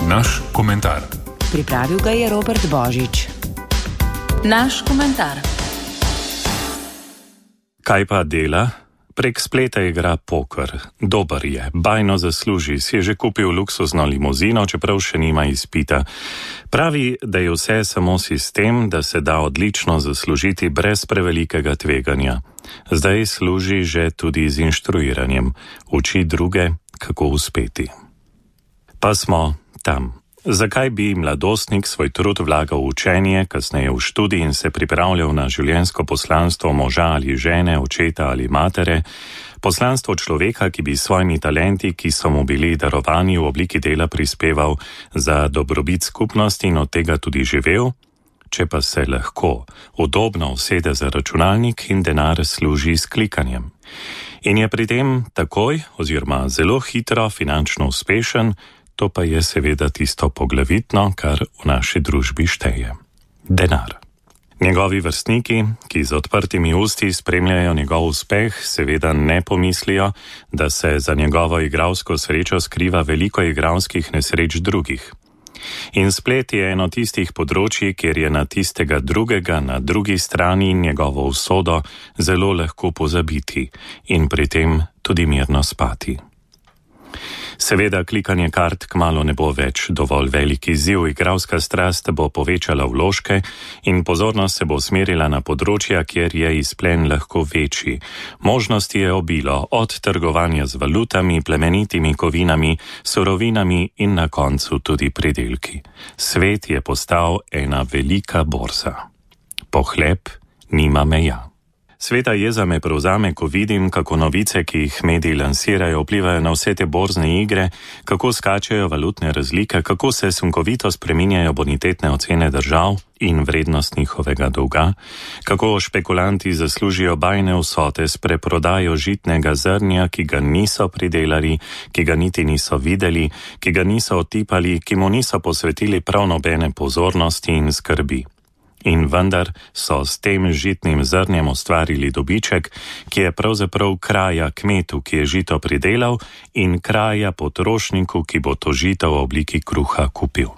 Naš komentar. Pripravil ga je Robert Božič. Naš komentar. Kaj pa dela? Prek spleta igra poker. Dober je, bajno zasluži, si je že kupil luksuzno limuzino, čeprav še nima izpita. Pravi, da je vse samo sistem, da se da odlično zaslužiti brez prevelikega tveganja. Zdaj služi že tudi z inštruiranjem. Uči druge, kako uspeti. Pa smo tam. Zakaj bi mladostnik svoj trud vlagal v učenje, kasneje v študij in se pripravljal na življenjsko poslanstvo moža ali žene, očeta ali matere, poslanstvo človeka, ki bi s svojimi talenti, ki so mu bili darovani v obliki dela, prispeval za dobrobit skupnosti in od tega tudi živel, če pa se lahko udobno usede za računalnik in denar služi s klikanjem. In je pri tem takoj oziroma zelo hitro finančno uspešen, to pa je seveda tisto poglavitno, kar v naši družbi šteje. Denar. Njegovi vrstniki, ki z odprtimi usti spremljajo njegov uspeh, seveda ne pomislijo, da se za njegovo igralsko srečo skriva veliko igralskih nesreč drugih. In splet je eno tistih področji, kjer je na tistega drugega na drugi strani njegovo usodo zelo lahko pozabiti in pri tem tudi mirno spati. Seveda klikanje kart kmalu ne bo več dovolj velik izziv, igralska strast bo povečala vložke in pozornost se bo usmerila na področja, kjer je izplen lahko večji. Možnosti je obilo, od trgovanja z valutami, plemenitimi kovinami, surovinami in na koncu tudi pridelki. Svet je postal ena velika borza. Pohlep nima meja. Sveta jeza me prevzame, ko vidim, kako novice, ki jih mediji lansirajo, vplivajo na vse te borzne igre, kako skačejo valutne razlike, kako se sunkovito spreminjajo bonitetne ocene držav in vrednost njihovega dolga, kako špekulanti zaslužijo bajne vsote s preprodajo žitnega zrnja, ki ga niso pridelali, ki ga niti niso videli, ki ga niso otipali, ki mu niso posvetili prav nobene pozornosti in skrbi. In vendar so s tem žitnim zrnjem ustvarili dobiček, ki je pravzaprav kraja kmetu, ki je žito pridelal, in kraja potrošniku, ki bo to žito v obliki kruha kupil.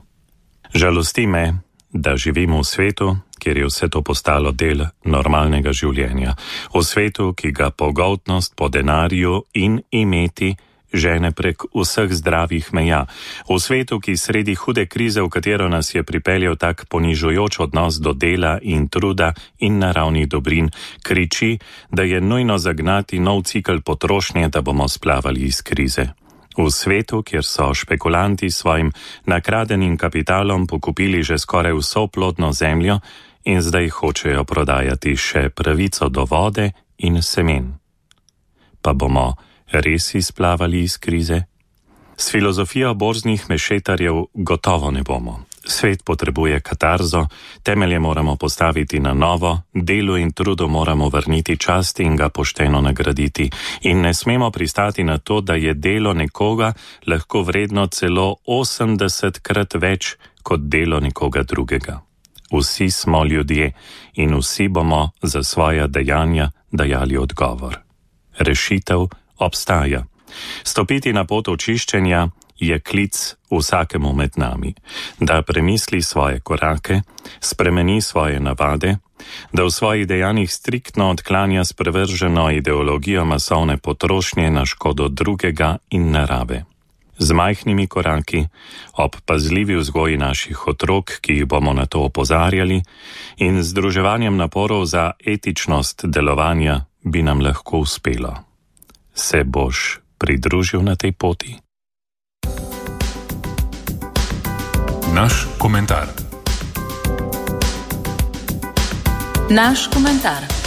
Žalosti me, da živimo v svetu, kjer je vse to postalo del normalnega življenja. V svetu, ki ga pogoltnost po denarju in imeti žene prek vseh zdravih meja. V svetu, ki sredi hude krize, v katero nas je pripeljal tak ponižujoč odnos do dela in truda in naravnih dobrin, kriči, da je nujno zagnati nov cikel potrošnje, da bomo splavali iz krize. V svetu, kjer so špekulanti s svojim nakradenim kapitalom pokupili že skoraj vso plodno zemljo in zdaj hočejo prodajati še pravico do vode in semen. Pa bomo res izplavali iz krize? S filozofijo borznih mešetarjev gotovo ne bomo. Svet potrebuje katarzo, temelje moramo postaviti na novo, delu in trudu moramo vrniti čast in ga pošteno nagraditi. In ne smemo pristati na to, da je delo nekoga lahko vredno celo 80-krat več kot delo nekoga drugega. Vsi smo ljudje in vsi bomo za svoja dejanja dajali odgovor. Rešitev obstaja. Stopiti na pot očiščenja je klic vsakemu med nami, da premisli svoje korake, spremeni svoje navade, da v svojih dejanjih striktno odklanja sprevrženo ideologijo masovne potrošnje na škodo drugega in narave. Z majhnimi koraki, ob pazljivi vzgoji naših otrok, ki jih bomo na to opozarjali, in združevanjem naporov za etičnost delovanja bi nam lahko uspelo. Se boš pridružil na tej poti? Naš komentar. Naš komentar.